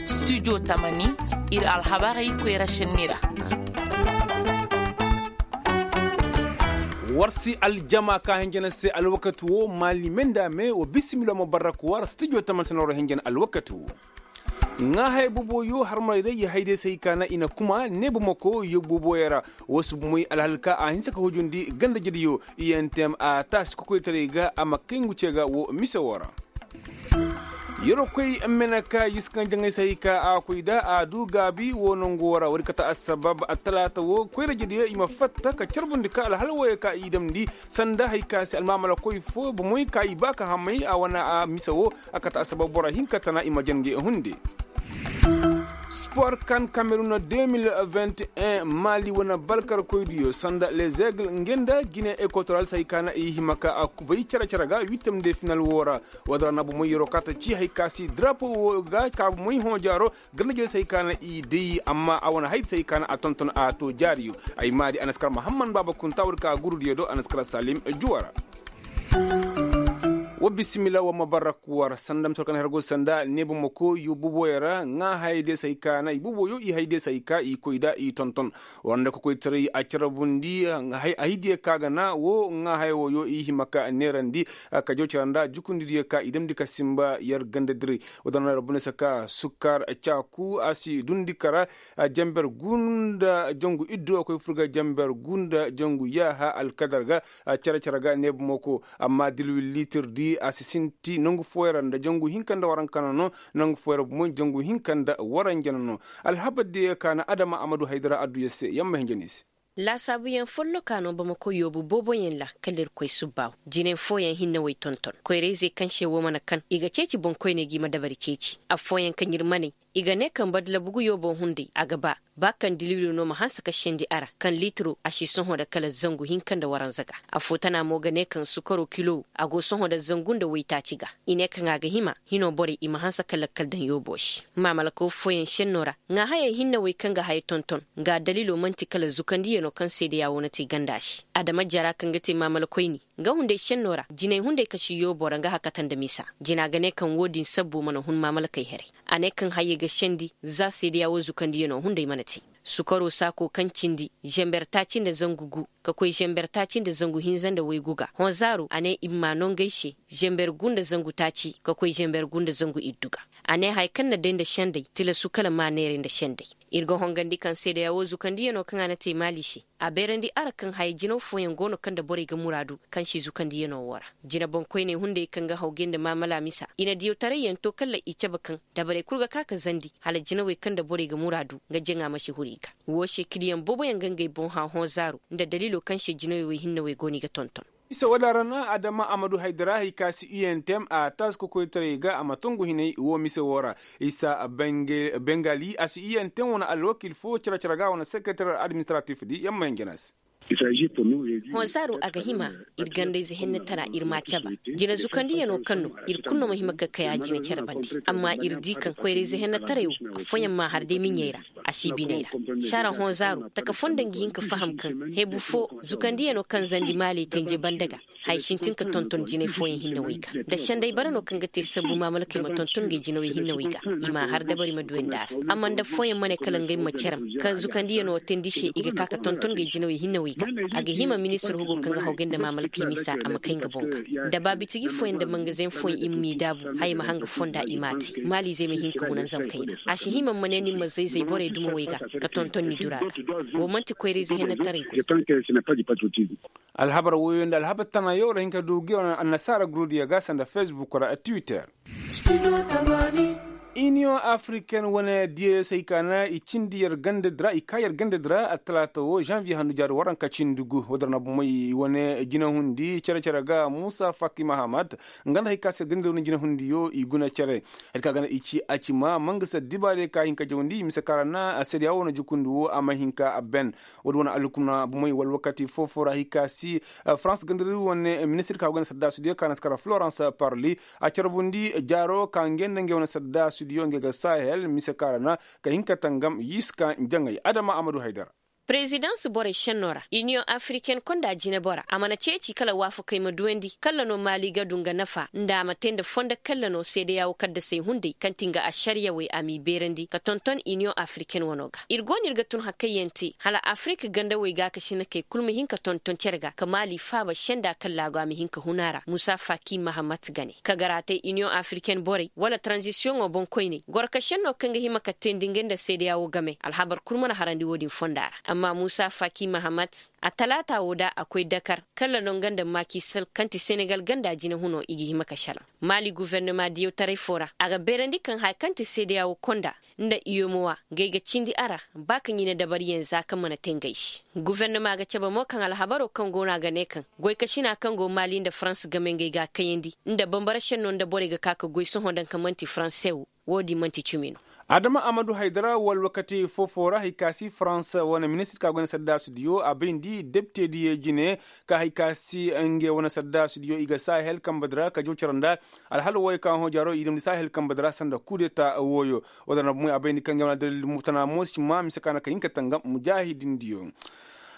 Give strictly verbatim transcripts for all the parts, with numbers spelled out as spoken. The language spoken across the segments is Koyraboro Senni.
Studio tamani, ir alhabarey koyra šenni ra. War si aljama ka hinjana se alwakati wo maali me nda me wa bisimila ma barrak war studio tamani se na war hinjana alwakati wo. Ŋaahay boboyo harmarey day i hay day se hay ka na i na kuma neeba mako yobbo boboyo ra. Wo si bomoy alhal ka a hinsa ka hujundi ganda jediyo i n tem a taasi kokoytaray ga a ma kay ngu ce ga wo mise wo ra. Yerwa koy mene ka yiskan jaŋay se hay ka a koy da a du gaabi wo nangu wo ra woodi kate assabab attalaata wo koyra jediyo i ma fatta ka carbundi ka alhal woyo ka i damndi sanda hay ka se almaamala koy fo bomoy ka i ba ka hamay a wane a mise wo. A kate assabab bora hinka tana i ma jange hunde. Sport kan kamerun deux mille vingt et un maali wane balkar koydiyo sanda les aigles nge nda gine ekwatoral se hay ka na i hima ka a kubay care care ga wittem de final wo ra. Woo din ra na bomoy yeroo ka ta ci hay ka si drapo wo ga ka bomoy hõ jaaro garnajey se hay ka na i day amma a wane hay di se hay ka na a tonton a to jaariyo. Ay maadi a na si kar mahamman baaba kunta woodi ka gurudiyo do a na si kar salim juwa ra. Wa bisimila wa ma barrak war sanda ma torkan hergo sanda neeba mako yo buboyo ra ŋaa hayey de se hay ka na i buboyo i hay de se hay ka i koy da i tonton. War nda ka koytaray a carabundi a hidiyo ka ga na wo ŋaa hayey wo yo i hima ka neerandi. Ka jaw cara nda jukundidiyo ka i damndi ka sinba yer gandadiray. Woo din ra bune se ka sukkar caaku a si dundi kara. Janber gu nda jangu iddu a koy fur ga janber gu nda jangu yaaha alkadar ga. Care care ga neeba mako amma dilwil liitir di a si sinti nangu fooyaŋ ra nda jangu hinka nda waranka na no. Nangu fooyaŋ ra bumoy jangu hinka nda waranja na no. Alhabar diyo ka na adama amadu haydara adduya se yamma hinja no i se. Laasaabuyaŋ folloka no bamako yoobu booboyaŋ ra kala irkoy subbaaw. Jine fooyaŋ hinne way tonton koyrayzey kaŋ se woo mana kan i ga ceeci boŋkoyney ga i ma dabari ceeci affooyaŋ kaŋ ir maney. I ga ne kaŋ badlabugu yoobo hunday a ga ba ba kaŋ dilwilo no ma hanse ka sendi a ra kaŋ liitiro a si sohõ nda kala zangu hinka nda waranza ga. Affoo tana mo ga ne kaŋ sukaro kilo a go sohõ nda zangu nda waytaaci ga. I ne kaŋ a ga hima hino borey i ma hanse ka lakkal daŋ yoobo se. Maamalakaw fooyaŋ senno ra ŋaahayey hinne wey kaŋ ga haya tonton. Nga dalilo man'ti kala zukandiyano kaŋ seedeya wo na te ganda se adama jara kaŋ ga te maamala koyni. Nga hunday senno ra jinay hunday kasi yoobo ra nga hakata nda misa. Jina ga ne kaŋ wo-din sabbu mana hun maamalakey haray. A ne kaŋ hayey ga sendi za seedeya wo zukandiyano hunday mana te. Sukaro saako kaŋ cindi zenber taaci nda zangu gu ka koy zenber taaci nda zangu hinza nda waygu ga honzaaro a ne i ma maa nongey se. Zenber gu nda zangu taaci ka koy zenber gu nda zangu iddu ga. A ne haya kaŋ na day nda sendey tilasu kala maa neeray nda sendey. Ir ga hongandi kaŋ seedeya wo zukandiyano kaŋ a na te maali se. A beerandi ara kaŋ haya jinaw fooyaŋ go no kaŋ nda borey ga muraadu kaŋ si zukandiyano wo ra. Jina boŋkoyney hunday kaŋ ga hawgay nda maamala misa i na diyawtarayyaŋ to kala i cabe kaŋ dabarey kul ga ka ka zandi hala jinawey kaŋ nda borey ga muraadu nga jaŋa ma si huru i ga. Woo se kiliyaŋ booboyaŋ ga ngey boŋ hã hõ zaaro nda daliilo kaŋ se jinawey wey hinne wey go no i ga tonton. Isa woo din ra na adama amadu haydara hay ka si u n t m a taasi kokoytaray ga a ma tongu hinay woo mise woo ra. Isa bengali a si u n t m wane alwakil fo care care ga wane sekretar administratif di yamma hinja no a se. Hõ zaaro a ga hima ir gandayze hennetara ir m'a caba. Jina zukandiyano kaŋ no ir kulu no ma hima ka kay a jina care bande. Amma ir di kaŋ koyrayze hennetaray wo affooyaŋ m'a har day miɲey ra. A si biney ra. Saara hõ zaaro taka foo nda nga hin ka faham kaŋ hebu foo zukandiyano kaŋ zandi maaley tenje bande ga. Haya sintin ka tonton jinay fooyaŋ hinne wey ga. Nda senday bara no kaŋ ga te sabbu maamalakey ma tonton ngey jinawey hinne wey ga. I m'a har dabari ma duwandi a ra. Amma nda affooyaŋ ma ne kala ngey ma cerem kaŋ zukandiyano teendi se i ga ka ka tonton ngey jinawey hinne wey ga. A ga hima ministir hugo kaŋ ga hawgay nda maamalakey misa a ma kay nga boŋ ga. Nda baabitiji fooyaŋ nda mangazeŋ fooyaŋ i ma m'i daabu haya ma hanga fonda i m'a te maaliizey ma hin ka hunanzam kayna. A si hima ma ne ni ma zayzay borey duma wey ga ka tonton ni dura ga. Woo man'ti koyrayze hennetaray goy. Alhabar woyo nda alhabar tanayo ra hin ka du ga wane annasaara gurudiyo ga sanda facebook ra twitter. Iniyoŋ afriken wane diyayo se ay ka na i cindi yer ganda di ra i ka yer ganda di ra attalaata wo zanviye handu jaari waranka cindi gu woo din ra na bomey wane jinahundi cere cere ga muusa faki mahamad. Nga nda hari ka se ganda di wane jinahundiyo i guna cere. Hari ka ga na i ci a ci ma mangasa dibaarey ka hin ka jawandi mise ka ra na seedeya wo na jukundi wo a ma hin ka ben. Woo din wane alhukuma bomey wala wakati foo foo ra hari ka si farans ganda di wane ministir ka go ga na saddaasidiyo ka na si kara florans parli. A carbundi jaaro ka ngey nda ngey wane saddaasidiyo ngey ga sahel mise ka ra na ka hin ka tangam yiska njaŋay adama amadu haydara. Prezidans borey šennoo ra iniyoŋ afiriken konda jinebora a mana ceeci kala waafakey ma duwandi kalla no maali ga du nga nafa nda a ma te nda fondo kalla no seedeya wo kaddasey hunday kaŋ ti nga ašariyawey a m'i beerandi ka tonton iniyoŋ afiriken wano ga. Ir go no ir ga tun hakkayyaŋ te hala afirik gandawey gaakasinakey kul ma hin ka tonton cere ga ka maali faaba senda kalla go a ma hin ka hun a ra muusa faaki mahamat gane ka garaatey iniyoŋ afiriken borey wala taranzisiyoŋo boŋkoyney goro ka šennoo kaŋ ga hima ka teendi ngey nda seedeya wo game alhabar kul mana harandi wo-din fonda ra. Amma muusa faaki mahamat a talaata wo da a koy dakar kalla no nga nda maaki sal kaŋ ti senegal ganda jinehunoo i ga hima ka šelaŋ maali gofornoma diyawtaray foo ra a ga beerandi kaŋ haya kaŋ ti seedeya wo konda nda iyomowa ngey ga cindi a ra ba kaŋ i na dabariyaŋ za kaŋ mana te ngey se. Gofornoma ga cabe mo kaŋ alhabaroo kaŋ go no a ga ne kaŋ goykasinaa kaŋ go maali nda farans game ngey ga a kayandi nda bambara šennoo nda borey ga ka ka goy sohõ daŋ kaŋ man'ti faranse wo wo-din man'ti cimi no. Adama amadu haydara wala wakati foo-foo ra hari ka si farans wane ministir ka goy nda saddaasidiyo a bayndi depitediyo jine ka hari ka si ngey wane saddaasidiyo i ga sahel kambe di ra ka jaw cere nda alhala wooyo ka hõ jaaro i damndi sahel kambe di ra sanda kudeta wooyo. Wala na bumoy a bayndi kaŋ ngey wane dalil tana mo si ma mise ka na ka hin ka tangam mujaahidindiyo.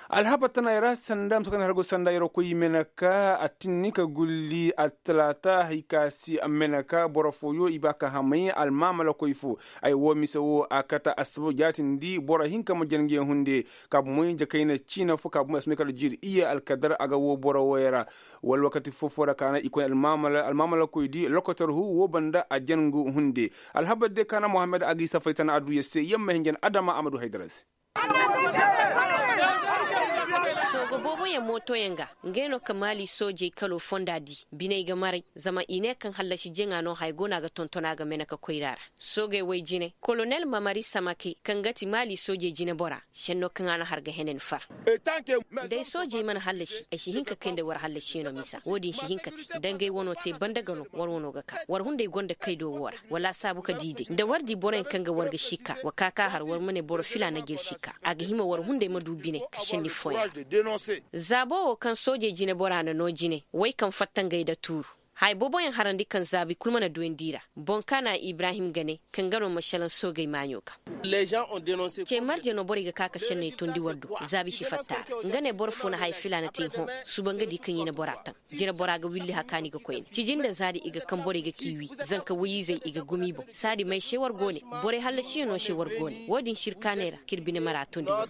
Alhabar tana i ra sanda mise ka na hargo sanda yerwa koy i mene ka a tinni ka gulli attalaata hari ka si mene ka boro fooyo i ba ka hamay almaamalakoy fo. Ay woo mise woo a kate assabab jaatindi boro hinka ma jange hunde ka bumoy jakayna ciina fo ka bumoy assabab kala jiiri iyye alkadar a ga woo boro wooyo ra. Wala wakati foo-foo ra ka na i koy almaamalakoydi lokotor hu woo banda a jangu hunde. Alhabar day ka na mohammed a ga i safay tana adduya se yamma hinjan adama a ma du haydara se. Sooga booboyaŋ mootoyaŋ ga ngey no ka maali soojey kaloo fonda di biney ga maray zama i ne kaŋ hallasi jaŋa no haya go no a ga tonton a ga mene ka koyra ra. Soogey woy jine kolonel mamari samake kaŋ ga ti maali soojey jinebora šennoo kaŋ a na har ga henen far. Day soojey mana hallasi ay si hin ka kay nda war hallasiyaŋo misa wo-din si hin ka te. Dangay wano te banda ga no war wano ga ka war hunday gonda kaydo wo ra wala a saabu ka di day nda war di boroyaŋ kaŋ ga war ga si ka wa ka ka har war ma ne boro filaana ga ir si ka a ga hima war hunday ma du bine ka senni fooyaŋ. Zaabo wo kaŋ soojey jinebora na noo jine way kaŋ fatta ngey nda tuuru. Haya booboyaŋ harandi kaŋ zaabi kul mana duwandi i ra. Boŋ kaana ibrahim ga ne kaŋ ga no ma šelaŋ soogey maaɲo ga. Ce marje no borey ga ka ka senney tondi war do. Zaabi si fatta a ra nga ne boro fo na haya filaana te hõ. Suba nga di kaŋ i na bora taŋ. Jine bora ga willi hakaani ga koyne cijin nda zaadi i ga kaŋ borey ga k'i wi. Zanka woy-izey i ga gum i boŋ saadi may se war go ne. Borey hallasiyaŋo se war go ne wo-din sirkaaney ra k'ir bine mara tondi war.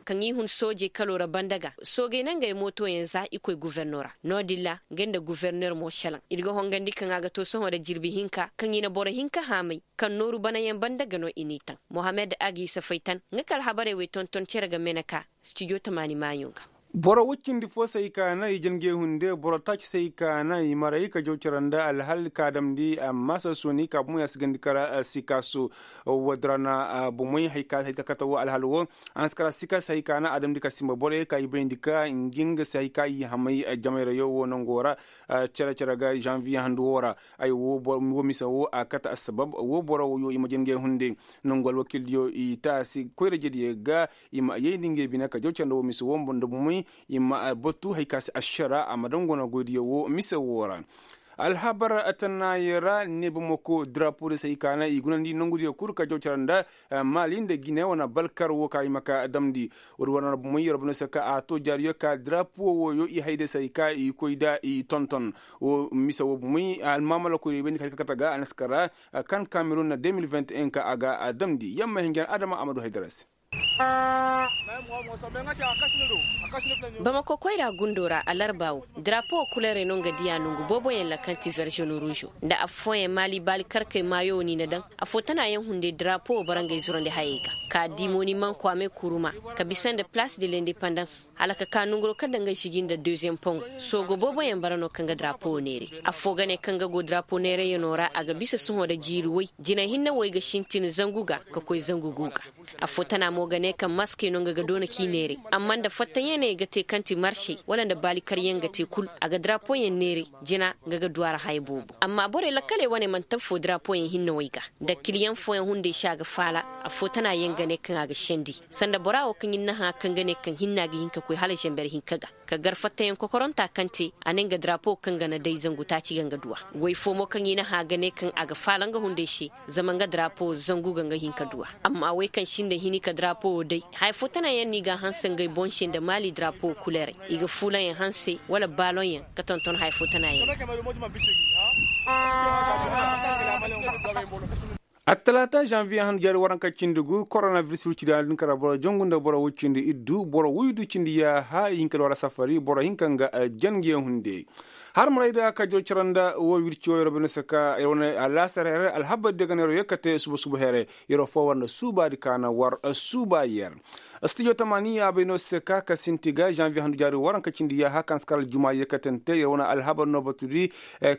Kaŋ i hun soojey kaloo ra banda ga soogey na ngey mootoyaŋ za i koy guverno ra. No-din ra ngey nda guverner mo šelaŋ ir ga hongandi kaŋ a ga to sohõ nda jirbi hinka kaŋ i na boro hinka haamay. Kaŋ nooru banayaŋ banda ga no i n'i taŋ mohammed a g'i safay tan nga ka alhabarey wey tonton cere ga mene ka stijo tamaani maaɲo ga. Boro woy cindi fo se hay ka na i janjey hunde boro taaci se hay ka na i maray ka jaw cere nda alhal ka damndi amma sassoni ka bumo ya si gandi kara sikasu. Woodin ra na bumoy hay ka kate wo alhal wo. A na si kara sikasu hay ka na a damndi ka simba borey ka i bayndi ka ngi nga se hay ka i hamay jamayrayo wo nango ra. Cere cere ga zanviye handu wo ra. Ay wo mise wo a kate assabab wo boro woyo i ma janjey hunde. Nangu alwakiildiyo i taasi koyra-ijediyo ga i ma a yayndi ngey bine ka jaw cere nda wo mise wo nda bumoy. I ma batu hay ka se ašara a ma daŋ go no goydiyo wo mise wo ra. Alhabar tanaayey ra ne bamako drapo de se hay ka na i gunandi nangudiyo kul ka jaw cere nda maali nda gine wane balkar wo ka i ma ka damndi. Woodi war na bumoy yerwa bano se ka a to jaariyo ka drapo woyo i hay de se hay ka i koy nda i tonton. Wo mise wo bumoy almaamala koydiyo bayndi ka hay ka kate ga a na si kara kan kamerun na deux mille vingt et un ka a ga a damndi yamma hinjan adama a ma du hay dara se. Bamako koyra gundo ra alarba wo drapo wo kulerey no nga diya nongu booboyaŋ ra kaŋ ti verzeonu ruuzo nda affooyaŋ maali baali karkey maayo wo ni na daŋ. Affoo tana yaŋ hunday drapo wo bara ngey zurandi hayey ga ka di mooni man kwaame kuruma ka bisa nda palaas de lendepandans hala ka ka nonguroo kaŋ daŋ ga siji nda deuxième poŋ. Soogo booboyaŋ bara no kaŋ ga drapo wo neeray. Affoo ga ne kaŋ ga go drapo neerayyanoo ra a ga bisa sohõ nda jiiri woy jinay hinne woy ga sintin zangu ga ka koy zangu gu ga. Affoo tana mo ga ne kaŋ maskey no nga ga doona k'i neeray amma nda fattayaŋey ga te kaŋ ti marsey wala nda baalikaryaŋ ga te kul a ga drapoyaŋ neeray. Jina nga ga du a ra haya boobo amma borey lakkaley wane man'ti affoo drapoyaŋ hinne woy ga. Nda kiliyaŋ fooyaŋ hunday se a ga faala. Affoo tana yaŋ ga ne kaŋ a ga sendi sanda bora wo kaŋ ir na hã kaŋ ga ne kaŋ hinna ga hin ka koy hala zamber hinka ga ka gar fattayaŋ kokoronta kaŋ te a ne nga drapo kaŋ ga na day zangu taaci ga nga du a. Woy fo mo kaŋ i na hã ga ne kaŋ a ga faala nga hunday se zama nga drapo zangu ga nga hin ka du a. Amma woy kaŋ sinda hini ka drapo Wo day haya fo tana yaŋ no i ga a hanse ngey boŋ se nda maali darapo kuleerey, i ga fuulaŋ yaŋ hanse wala baaloŋ yaŋ ka tonton haya fo tana yaŋ. Attalaata zanviye handu jaari waranka cindi gu koronabiris wicidi a din kara boro jangu nda boro wicindi iddu boro wuydu cindi yaaha i hinka nda war safari boro hinka nga jangiyaŋ hunde. Har maray da ka jaw cara nda wo wirci wo yeroo bine se ka yeroo wane alaasar here alhabar diya ga na yeroo yekkate suba suba here. Yeroo foo war nda suubaadi ka na war suuba yer. Stijo tamaani a bay no se ka ka sinti ga zanviye handu jaari waranka cindi yaaha ka na si kar aljuma yekkatante yeroo wane alhabar no batudi.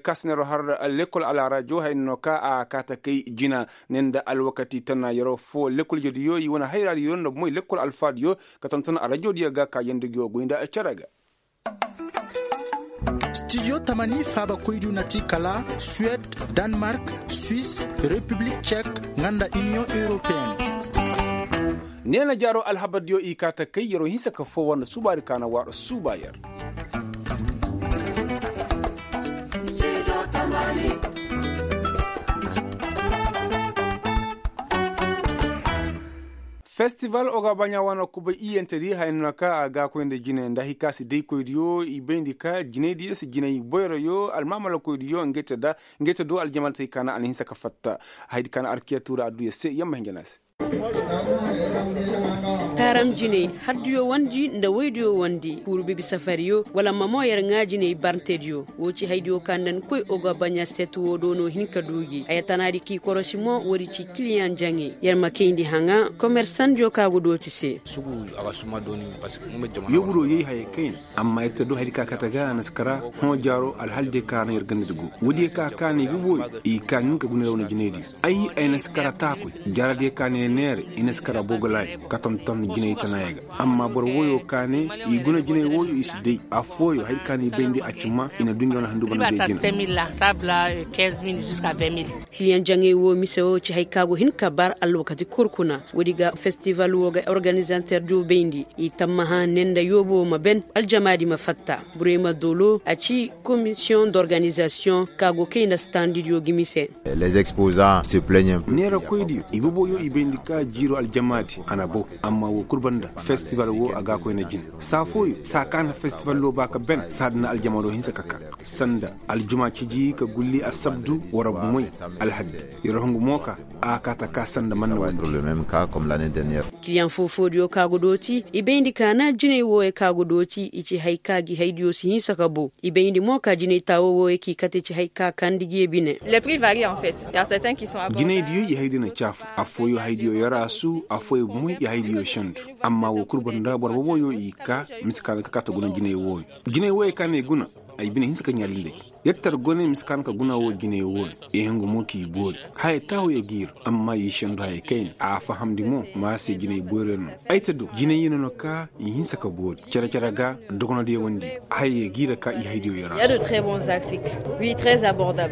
Ka si na yeroo har lekkol alaarajo haya no ka a kaata kay jina ne nda alwakati tana yeroo foo lekkol jediyo i wane hayraadiyo nda bomoy lekkol alfaadiyo ka tonton arajo diyo ga ka yandi go goy nda cere ga. Stijo tamani faabakoydiyo na ti kala suwed, danmark, swis, repiblik cek, nga nda iniyoŋ europeen. Neena jaaroo alhabardiyo i kaa ta kay yeroo hinsa ka foo war nda suubaadi ka na waar suuba yer. Festival oga baɲa wane kubay iyyantedi haya no ka a gaakoy nda jine nda hari ka si daykoydiyo i bayndi ka jinaydiyo si jinay boyroyo almaamalakoydiyo ngey te do aljamaatey ka na a na hinsa ka fatta. Hayadi ka na arkiya tuura adduya se yamma hinja no a se. Taaram jinay hardiyo wandi nda waydiyo wandi kuuru bibi safariyo wala mamo yer ŋaa jinay barntediyo. Wo ci haydiyo ka nda ni koy oga baɲa set wo do no hin ka du gi haya tanaadi k'i korosi mo woodi ci kiliyaŋ jaŋay yer ma kayndi haŋa komersandiyo ka go dooti se. Yooburo yay hayey kayna amma yer te du hayadi ka kate ga a na si kara hõ jaaro alhaldiyo ka na yer gandadi go woodiyo ka kaanay ga booyo i kaa hin ka guna yer wane jinaydiyo. Ay ay na si kara taakoy jaaradiyo ka na yer neera i na si kara bogolaay ka tonton jinay tanaaya ga. Amma boro wooyo ka ne i guna jinay wooyo i si day affooyo hari ka na i bayndi a ci ma i na du ngey wane handu bana day jina. Kiliyaŋ jaŋay woo mise woo ci hari ka go hin ka bar alwakati kul kuna. Woodi ga festival woo ga organizater diyo bayndi i tammaha ne nda yoobo ma ben aljamaadi ma fatta. Burey ma dolo a ci komisiyoŋ d'organizasiyoŋ ka go kay nda standidiyo ga mise. Neerakoydiyo i boboyo i bayndi ka jiiro aljamaadi a na bow. Amma woo kul banda festival woo a ga a koy na jin saa fooyo saa ka na festival woo ba ka ben saa da na aljamaado hinsa ka kaa sanda aljuma ciji ka gulli asabdu wara bumey alhaddi. Yer hungu mo ka a kaa ta kaa sanda manna wandi. Kiliyaŋ foo-foodiyo ka go dooti i bayndi ka na jinay wooyo ka go dooti i ci hari ka gi haydiyo si hinsa ka bow. I bayndi mo ka jinay taawo wooyo k'i kate ci hari ka kandi gi ye bine. Jinaydiyo i haydiyo na caafu affooyo haydiyo yara su affooyo bumey i haydiyo sendu. Amma woo kul banda boro boboyo i kaa mise ka na ka kaa ta guna jinay wooyo. Jinay wooyo ka na i guna ay bine hinsa ka ɲaalindi gi. Yer tar gone mise ka na ka guna woo jinay wooyo. I hungu mo k'i boori haya taawo ya giir. Amma i sendu haya kayna a fahamndi mo ma se jinay boori no. Ay ta du jinay yino no ka i hinsa ka boori cere-cere ga dogonodiyo wandi. Haya ya giir ka i haydiyo yara su.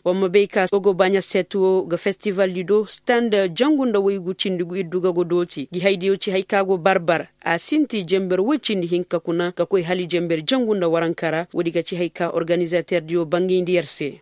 Wa ma bay ka ogo baɲa set woo ga festivaldi do stand jangu nda waygu cindi gu iddu ga go dooti gi haydiyo ci hari ka go barbar. A sinti jenber woy cindi hinka kuna ka koy hala jenber jangu nda waranka ra woodi ga ci hari ka organizaterdiyo bangayndi yer se.